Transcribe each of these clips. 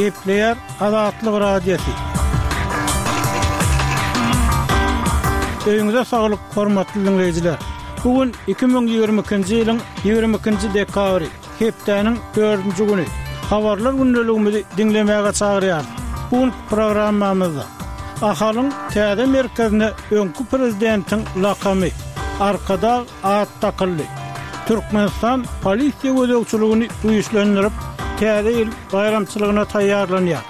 Gepleýär Azatlyk Radiosy. Öýüňize saglyk, hormatly diňleýjiler! Bu gün 2022-nji ýylyň 22-nji dekabry, hepdäniň dördünji güni. Habarlar gündeligimizi diňlemäge çagyrýarys. Bu günki programmamyzda Ahalyň täze merkezine öňki prezidentiň lakamy, Arkadag at dakyldy. Türkmenistan polisiýa gözegçiligini güýçlendirip, Täze ýyl baýramçylygyna taýýarlanýar.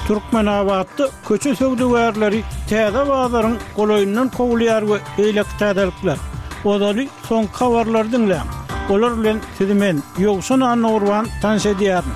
Türkmenabatda köçe söwdagärleri täze bazaryň golaýyndan kowulýar we beýleki täzelikler. Ozaly soňky habarlary diňläň. Olar bilen sizi men, Ýowşan Annagurban tanyş edýärin.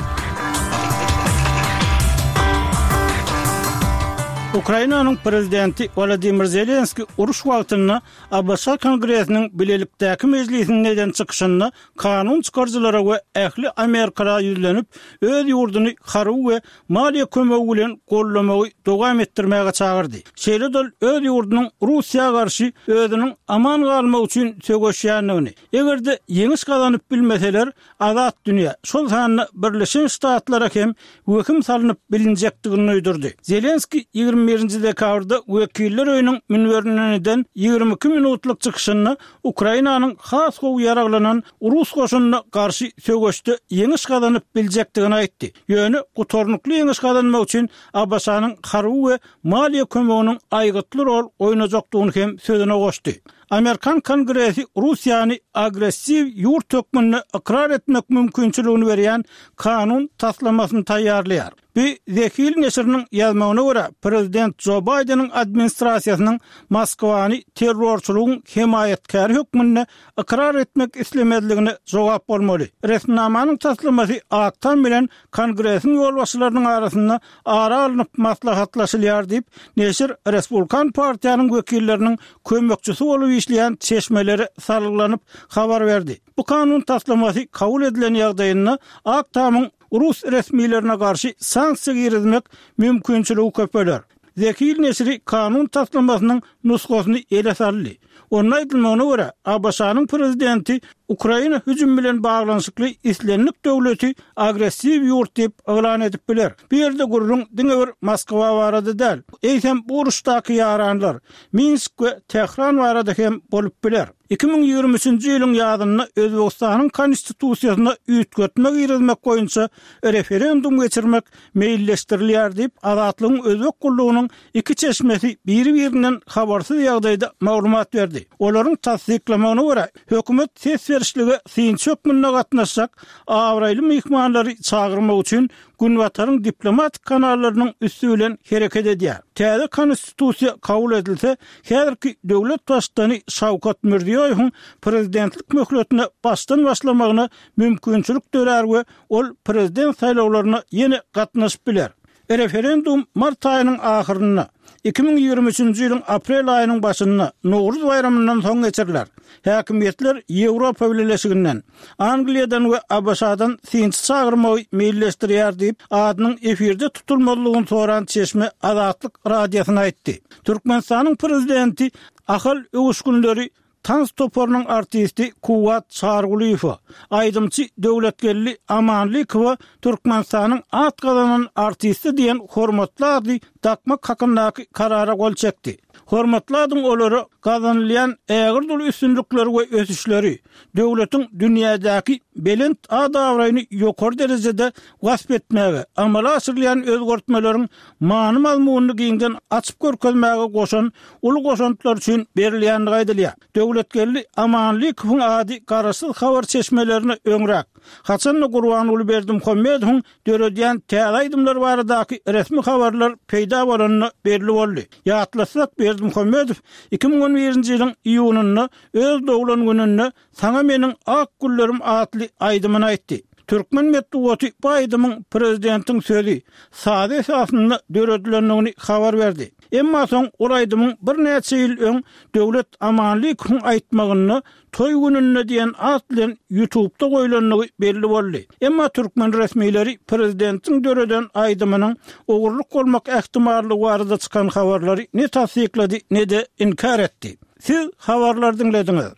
Ukrainanyň prezidenti Wolodymyr Zelenskiý uruş wagtynda ABŞ Kongresiniň bilelikdäki mejlisinde eden çykyşynda kanun çykaryjylara we ähli amerikala ýüzlenip, öz ýurduny harby we maliýe kömegi bilen goldamagy dowam etdirmäge çagyrdy. Şeýle-de ol öz ýurdunyň Russiýa garşy özüniň aman galmagy üçin söweşýändigini, eger-de ýeňiş gazanyp bilmeseler, azat dünýä, şol sanda Birleşen Ştatlara hem wehim salnyp bilinjekdigini duýdurdy. Zelenskiý 21 nji dekabrda Wekiller öýüniň münberinden eden 22 minutlyk çykyşynda Ukrainanyň has gowy ýaraglanan rus goşunyna garşy söweşde ýeňiş gazanyp biljekdigini aýtdy. Ýöne gutarnykly ýeňiş gazanmak üçin ABŞ-nyň harby we maliýe kömeginiň aýgytly rol oýnajakdygyny hem sözüne goşdy. Amerikan Kongresi Russiýany agressiw ýurt hökmünde ykrar etmek mümkinçiligini berýän kanun taslamasyny taýýarlaýar. Bu The Hill neşiriniň ýazmagyna görä, prezident Jo Baýdeniň administrasiýasynyň Moskwany terrorçylygyň hemaýatkäri hökmünde ykrar etmek islemezligine jogap bolmaly. Resminamanyň taslamasy Ak Tam bilen Kongresiň ýolbaşçylarynyň arasynda ara alnyp maslahatlaşylýar diýip, neşir Respublikan partiýanyň wekilleriniň kömekçisi bolup işleýän çeşmelere salgylanyp habar berdi. Bu kanun taslamasy kabul edilen ýagdaýynda Ak Tamyň rus resmilerine garşy sanksiýa girizmek mümkinçiligi köpeler. The Hill neşiri kanun taslamasynyň nusgasyny ele saldy. Onda aýdylmagyna görä, ABŞ-nyň prezidenti Ukraina hüjümi bilen baglanyşykly islendik döwleti agressiw ýurt diýip yglan edip biler. Bu ýerde gürrüň diňe bir Moskwa barada däl, eýsem bu uruşdaky ýaranlar, Minsk we Tähran barada hem bolup biler. 2023-nji ýylyň ýazynda Özbegistanyň Konstitusiýasyna üýtgetme girizmek boýunça referendum geçirmek meýilleşdirilýär diýip, Azatlygyň Özbek gullugynyň iki çeşmesi biri-birinden habarsyz ýagdaýda maglumat berdi. Olaryň tassyklamagyna görä, hökümet ses berişlige synçy hökmünde gatnaşjak abraýly myhmanlary çagyrmak üçin Günbataryň diplomatik kanallarynyň üsti bilen hereket edýär. Täze Konstitusiýa kabul edilse, häzirki döwlet baştutany Şawkat Mirziýoýewiň prezidentlik möhletine başdan başlamagyna mümkinçilik dörär we ol prezident saýlawlaryna ýene gatnaşyp biler. Referendum mart aýynyň ahyrynda, 2023-nji ýylyň aprel aýynyň başynda, Nowruz baýramyndan soň geçiriler. Häkimiýetler Ýewropa Bileleşiginden, Angliýadan we ABŞ-dan synçy çagyrmagy meýilleşdirýär diýip, adynyň efirde tutulmazlygyny soran çeşme Azatlyk Radiosyna aýtdy. Türkmenistanyň prezidenti Ahal öwüşginleri Tans toparynyň artisti Kuwwat Çarygulyýewa, aýdymçy Döwletgeldi Amanlykowa Türkmenistanyň at gazanan artisti diýen hormatly ady dakmak hakyndaky Karara gol çekdi. Hormatly adyň olara gazanylýan ägirt uly üstünlikleri we ösüşleri, döwletiň dünýädäki belent at-abraýyny ýokary derejede wasp etmäge, amala aşyrylýan özgertmeleriň many-mazmunyny giňden açyp görkezmäge goşan uly goşantlary üçin berilýändigi aýdylýar. Döwletgeldi Amanlykowyň ady garaşsyz habar çeşmelerine öňräk, haçan-da Gurbanguly Berdimuhamedowyň döredýän täze aýdymlary baradaky resmi habarlar peýda bolanda belli boldy. Ýatlatsak, Berdimuhamedow 2011-nji ýylyň iýunynda öz doglan gününde Saňa meniň ak güllerim atly aýdymyny aýtdy. Türkmen metbugaty bu aýdymyň prezidentiň sözi, sazy esasynda döredilendigini habar berdi. Emma soň ol aýdymyň birnäçe ýyl öň Döwlet Amanlykowyň aýtmagynda Toý gününde diýen at bilen ýutubda goýlandygy belli boldy. Emma türkmen resmileri prezidentiň döreden aýdymynyň ogurlyk bolmak ähtimallygy barada çykan habarlary ne tassyklady, ne-de inkär etdi. Siz habarlary diňlediňiz.